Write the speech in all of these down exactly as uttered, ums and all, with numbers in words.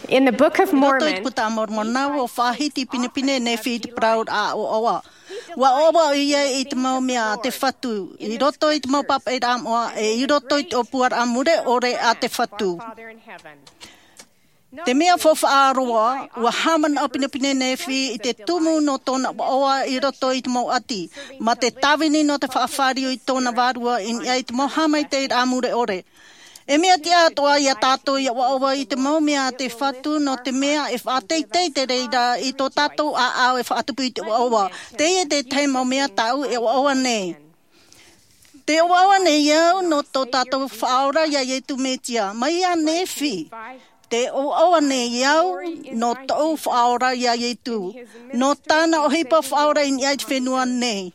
In the Book of Mormon, i roto i te puta a Moromona, ua faʻahiti pinepine Nephi i te parauraʻa ʻoaʻoa. Ua ʻoaʻoa ʻoia i te mau mea a te Fatu i roto i te mau pāpaʻiraʻa moʻa, e i roto i te ʻōpuaraʻa mure ʻore a te Fatu. Te mea faufaʻa roa, ua haʻamanaʻo pinepine Nephi i te tumu nō tōna ʻoaʻoa i roto i te mau ʻati, mā te tāvini nō te faʻafāriu i tōna vārua i niʻa i te mau haʻamaitaʻiraʻa mure ʻore. E mea tiʻa atoʻa ia tātou ia ʻoaʻoa i te mau mea a te Fatu, nō te mea e faʻateitei te reira i tō tātou ʻāʻau e faʻatupu i te ʻoaʻoa. Teie te tahi mau mea tāʻu e ʻoaʻoa nei. Tē ʻoaʻoa nei au nō tō tātou Faʻaora iā Iesu Mesia. Mai iā Nephi, tē ʻoaʻoa nei au nō tōʻu Faʻaora iā Iesu, nō tāna ʻohipa faʻaora i niʻa i te fenua nei.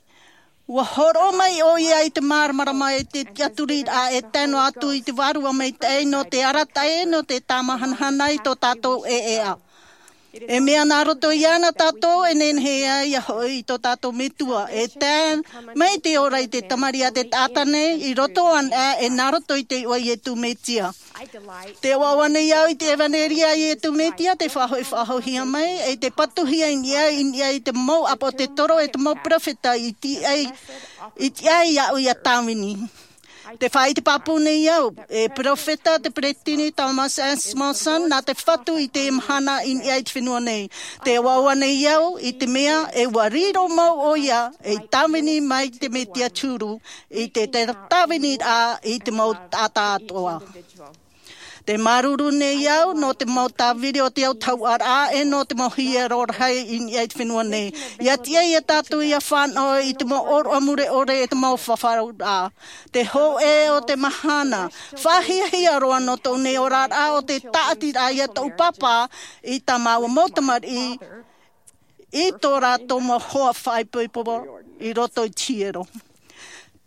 Ua hōroʻa mai ʻoia i te māramarama e te tiʻaturiraʻa e tae noa atu i te Vārua Maitaʻi nō te arataʻi, nō te tāmāhanahana i tō tātou ʻēʻa. E mea nā roto iāna tātou e nehenehe ai ia hoʻi i tō tātou Metua, e tae mai te ora i te Tamariʻi a te taʻata nei, i roto anaʻe e nā roto i te iʻoa Iesu Mesia. Tē ʻoaʻoa nei au i te ʻevanelia a Iesu Mesia, tē faʻahoʻi faʻahouhia mai, e tē patuhia i niʻa, i niʻa i te mau ʻāpoʻo tētoro, e te mau peropheta i tiʻa ai, i tiʻa ai iāʻu ia tāvini. Tē faʻaʻite pāpū nei au, e peropheta te peresideni Thomas S. Monson, nā te Fatu i te mahana i niʻa i te fenua nei. Tē ʻoaʻoa nei au i te mea e ua riro mau ʻoia ei tāvini mai te Mesia te huru, i te, te tāviniraʻa i te mau taʻata atoʻa. Tē māuruuru nei au nō te mau tāviri o te autahuʻaraʻa, e nō te mau hiero rahi i niʻa i te fenua nei. ʻIa tiʻa ia tātou ʻia fānaʻo i te mau ʻōroʻa mure ʻore e te mau fafauraʻa. Te hōʻē o te mahana, faʻahiahia roa nō tōʻu nei oraraʻa ʻo te tāʻatiraʻa ia tōʻu pāpā i tā māua mau tamariʻi, i tō rātou mau hoa faʻaipoipo i roto i te hiero.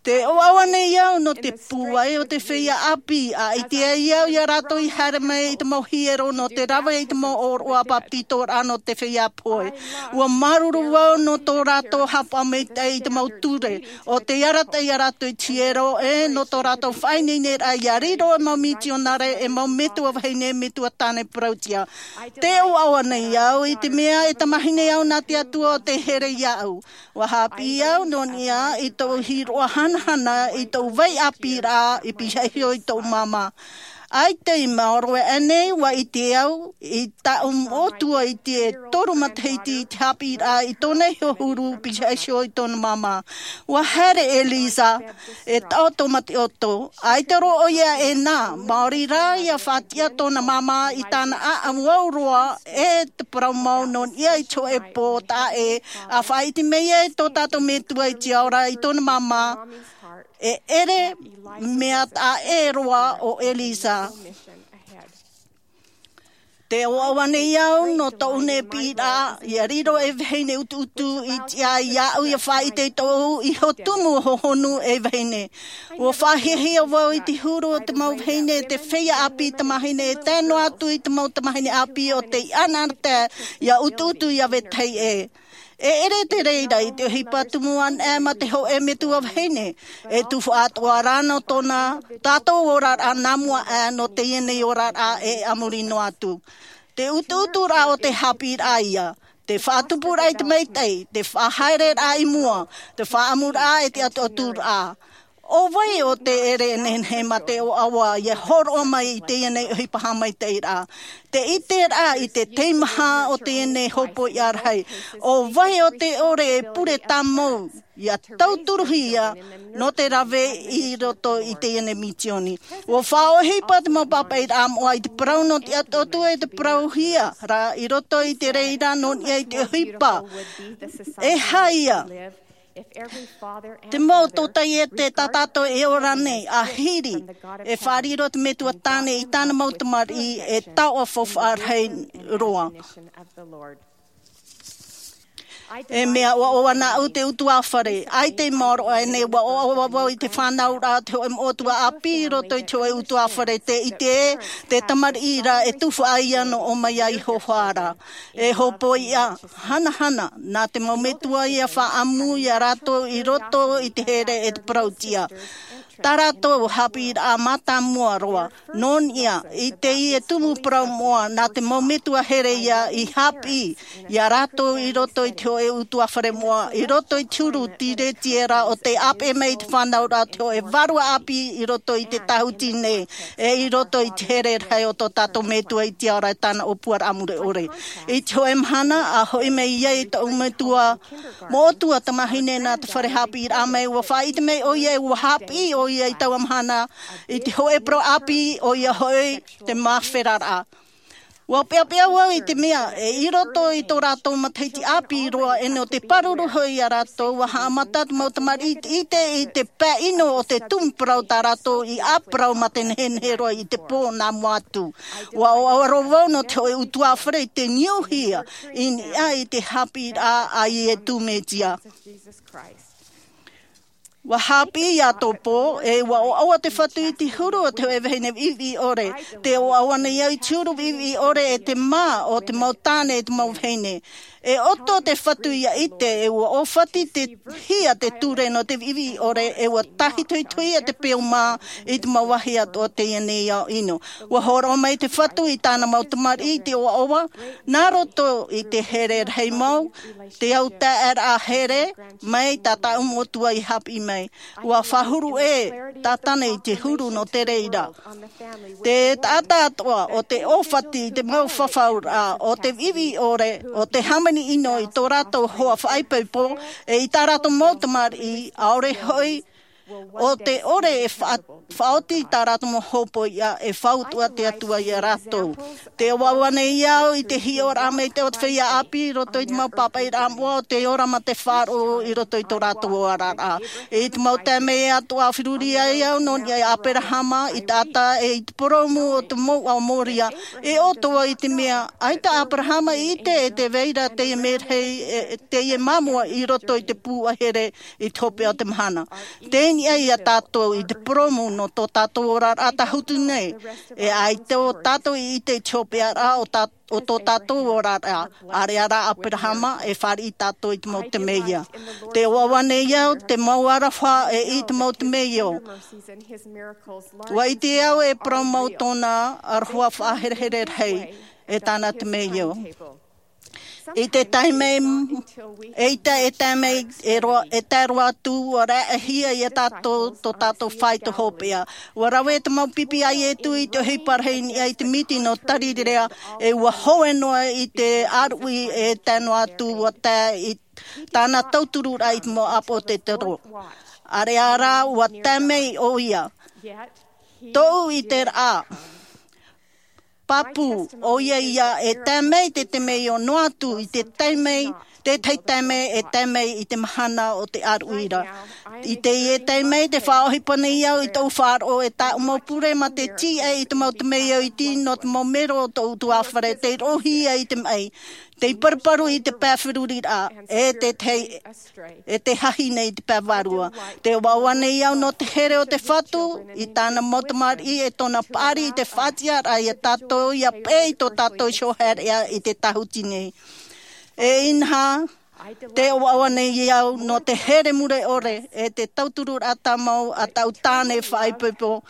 Tē ʻoaʻoa nei au nō te pūai o te feiā ʻāpī, ʻa ʻite ai au ia rātou i haere mai i te mau hiero nō te rave i te mau ʻōroʻa bapetizoraʻa nō te feiā pohe. Ua māuruuru au nō tō rātou haʻapaʻo maitaʻi i te mau ture, ʻo tē arataʻi ia rātou i te hiero, e nō tō rātou faʻaineineraʻa ia riro e mau mitionare, e mau metua vahine, metua tāne parauʻtiʻa. Tē ʻoaʻoa nei au i te mea e tamahine au nā te Atua ʻo tē here iāʻu. Ua haʻapiʻi au nō niʻa i tōʻu hīroʻa hanahana i tōʻu vai ʻāpīraʻa i pīhaʻi iho i tōʻu māmā. ʻAita i maoro aʻe nei, ua ʻite au i tāʻu moʻotua i te toru matahiti i te haʻapiʻiraʻa i tōna iho huru pīhaʻi iho i tōna māmā. Ua haere ʻo Elisa, e taʻoto mā te ʻoto, ʻaita roa ʻoia e nā, maori rā ʻia faʻatiʻa tōna māmā i tāna ʻāʻamu au roa, e te parau mau nō niʻa i te hōʻē pō taʻa ʻē, ʻa faʻaʻite mai ai tō tātou Metua i te ao ra i tōna māmā, e ʻere mea taʻa ʻē roa ʻo Elisa. Tē ʻoaʻoa nei au nō tōʻu nei piʻiraʻa, ʻia riro ei vahine ʻutuʻutu i tiʻa iāʻu ʻia faʻaʻite i tōʻu iho tumu hohonu ei vahine. Ua faʻahiahia vau i te huru o te mau vahine, te feiā ʻāpī tamahine, e tae noa atu i te mau tamahine ʻāpī ʻo tē ʻanaʻanatae ʻia ʻutuʻutu ʻia vetahi ʻē. E ʻere te reira i te ʻohipa tumu anaʻe mā te hōʻē metua vahine, e tufaʻa atoʻa rā nō tōna tātou oraraʻa nā mua aʻe nō teie nei oraraʻa e a muri noa atu. Te ʻutuʻuturaʻa o te haʻapiʻiraʻa ïa, te faʻatupuraʻa i te maitaʻi, te faʻahaereraʻa i mua, te faʻaʻamuraʻa e te ʻatuʻaturaʻa. ʻO vai ʻo tē ʻere e nehenehe mā te ʻoaʻoa ʻia hōroʻa mai i teie nei ʻohipa haʻamaitaʻiraʻa? Te ʻiteraʻa i te teimaha o teie nei hopoiʻa rahi. ʻO vai ʻo tē ʻore e pure tāmau ʻia tauturuhia nō te rave i roto i teie nei misioni? Ua faʻaʻohipa te mau pāpaʻiraʻa moʻa i te parau nō te ʻatuʻatu e te parauhia ra i roto i te reira nō niʻa i te ʻohipa. E aha ïa? Te mau tōtaiete tā tātou e ora nei, ʻa hiri e faʻariro te Metua Tāne i tāna mau tamariʻi, e taoʻa faufaʻa rahi roa. E mea ʻoaʻoa nāʻu te ʻutuāfare, ʻaita i maoro aʻe nei, ua ʻoaʻoa vau i te fānauraʻa o te hōʻē moʻotua ʻāpī i roto i te hōʻē ʻutuāfare, tē ʻite ē, te tamariʻi ra e tufaʻa ïa nō ʻō mai ai i Iehova ra. E hopoiʻa hanahana, nā te mau metua ïa faʻaʻamu ia rātou i roto i te here e te parauʻtiʻa. Tā rātou haʻapiʻiraʻa mātāmua roa nō niʻa i teie tumu parau moʻa nā te mau metua here ia i haʻapiʻi iā rātou i roto i te hoʻē utuāfare moʻa, i roto i te huru tiretiera o te ʻāpeʻe mai i te fānauraʻa o te hoʻē vārua ʻāpī i roto i te tāhuti nei, e i roto i te here rahi o tō tātou Metua i te ao ra e tāna ʻōpuaraʻa mure ʻore. I te hoʻē mahana, a hoʻi mai ai tōʻu metua moʻotua tamāhine nā te fare haʻapiʻiraʻa mai, ua faʻaʻite mai ʻoia e ua haʻapiʻi ʻoia i taua mahana i te hoʻē parau ʻāpī, ʻoia hoʻi te māferaraʻa. Ua peʻapeʻa vau i te mea, e i roto i tō rātou matahiti ʻāpī roa, e nō te pāruru hoʻi iā rātou, ua haʻamata te mau tamariʻi i te ʻite i te pae ʻino o te tumu parau tā rātou i ʻāparau mā te nehenehe roa i te pō nā mua atu. Ua ʻoaʻoa roa vau nō te hoʻē utuāfare i te niuhia i niʻa i te haʻapiʻiraʻa a Iesu Mesia. Ua haʻapiʻi iā tō pō, e ua ʻoaʻoa te Fatu i te huru o te hoʻē vahine viʻiviʻi ʻore. Tē ʻoaʻoa nei au i te huru viʻiviʻi ʻore e te mā o te mau tāne e te mau vahine. E ʻoto te Fatu ʻia ʻite, e ua ʻōfati te hia te ture nō te viʻiviʻi ʻore, e ua tāhitohitohia te peu mā i te mau vāhi atoʻa o teie nei ao ʻino. Ua hōroʻa mai te Fatu i tāna mau tamariʻi i te ʻoaʻoa, nā roto i te here rahi mau, te au taʻeraʻa here, mai tā tāʻu Metua i haʻapiʻi mai. Ua fāhuru ʻē Tātane i te huru nō te reira. Te taʻata atoʻa o te ʻōfati i te mau fafauraʻa, o te viʻiviʻi ʻore, o te hāmani ʻino i tō rātou hoa faʻaipoipo, e i tā rātou mau tamariʻi, ʻaore hoʻi, o te ʻore e faʻa-, faʻaoti i tā rātou mau hōpoiʻa, e fautua te Atua iā rātou. Tē ʻoaʻoa nei au i te hiʻoraʻa maitaʻi o te feiā ʻāpī i roto i te mau pāpaʻiraʻa moʻa o te ora mā te faʻaroʻo i roto i tō rātou oraraʻa. I te mau taime atoʻa feruri ai au nō niʻa iā Aperahama, i te taʻata e i te purōmu o te mouʻa o Moria, e ʻoto vau i te mea, ʻaita ʻo Aperahama i ʻite e tē vai ra teie merahi, e, teie māmua i roto i te pūʻahere i te hopeʻa o te mahana. Tei niʻa iā tātou i te purōmu nō tō tātou oraraʻa tāhuti nei, e ʻaita ʻo tātou i ʻite i te hopeʻaraʻa o tā-, o tō tātou oraraʻa, ʻāreʻa rā Aperahama, e fāriʻi tātou i te mau temeio. Tē ʻoaʻoa nei au, te mau aroha e i te mau temeio. Ua ʻite au e parau mau tōna aroha faʻaherehere rahi, e tāna temeio. I te taime, eʻita e tae mai, e roa, e tae roa atu, ua raʻehia iā tātou, tō tātou faito hopeʻa. Ua rave te mau pipi a Iesu i te ʻohipa rahi i niʻa i te miti nō Tarirea, e ua hoe noa i te ʻāruʻi e tae noa atu, ua tae i tāna tautururaʻa i te mau ʻāpotetoro. ʻĀreʻa rā, ua tae mai ʻoia. Tōʻu ʻiteraʻa. Pāpū, ʻoia ia e tae mai te temeio noa atu i te taime, tētahi taime e tae mai i te mahana o te ʻāruʻi ra. I teie taime tē faʻaʻohipa nei au i tōʻu faʻaroʻo e tāʻu mau pure mā te tīaʻi i te mau temeio iti nō te mau mero o tōʻu utuāfare, tei roʻohia i te maʻi, tei paruparu i te pae feruriraʻa, e te tei, e te hahine i te pae vārua. Tē ʻoaʻoa nei au nō te here o te Fatu, i tāna mau tamariʻi e tōna paʻari i te faʻatiʻaraʻa iā tātou, ʻia peʻe i tō tātou iho haereʻa i te tāhuti nei. E inaha, tē ʻoaʻoa nei au nō te here mure ʻore, e te tautururaʻa tāmau a tāʻu tāne faʻaipoipo,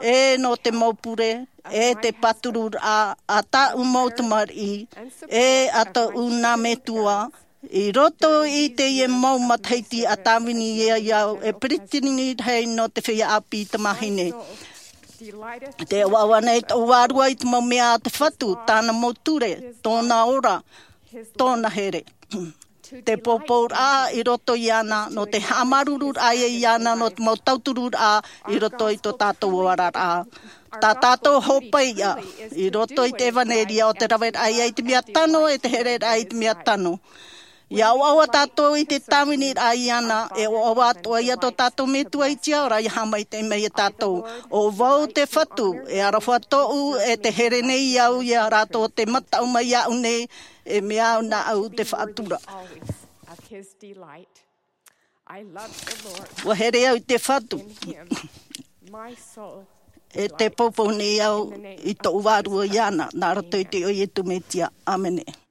e nō te mau pure, e te pātururaʻa a tāʻu mau tamariʻi, e a tōʻu nā metua, i roto i teie mau matahiti a tāvini ai au e peresideni rahi nō te feiā ʻāpī tamāhine. Tē ʻoaʻoa nei tōʻu vārua i te mau mea a te Fatu, tāna mau ture, tōna ora, tōna here. Te pōpouraʻa i roto iāna, nō te haʻamāuruururaʻa iāna, nō te mau tautururaʻa i roto i tō tātou oraraʻa. Tā tātou hōpaiʻa, i roto i te ʻevaneria o te raveraʻa ia i te mea tano, e te hereraʻa i te mea tano. ʻIa ʻoaʻoa tātou i te tāviniraʻa iāna, e ʻoaʻoa atoʻa ia tō tātou Metua i te ao ra, ʻia haʻamaitaʻi mai ia tātou. ʻO vau te Fatu, e aroha tōʻu, e tē here nei au ia rātou tē mataʻu mai iāʻu nei, e mea au nāʻu te faʻatura. Ua here au i te Fatu. E tē poupou nei au i tōʻu vārua iāna, nā roto i te iʻoa o Iesu Mesia. ʻĀmene.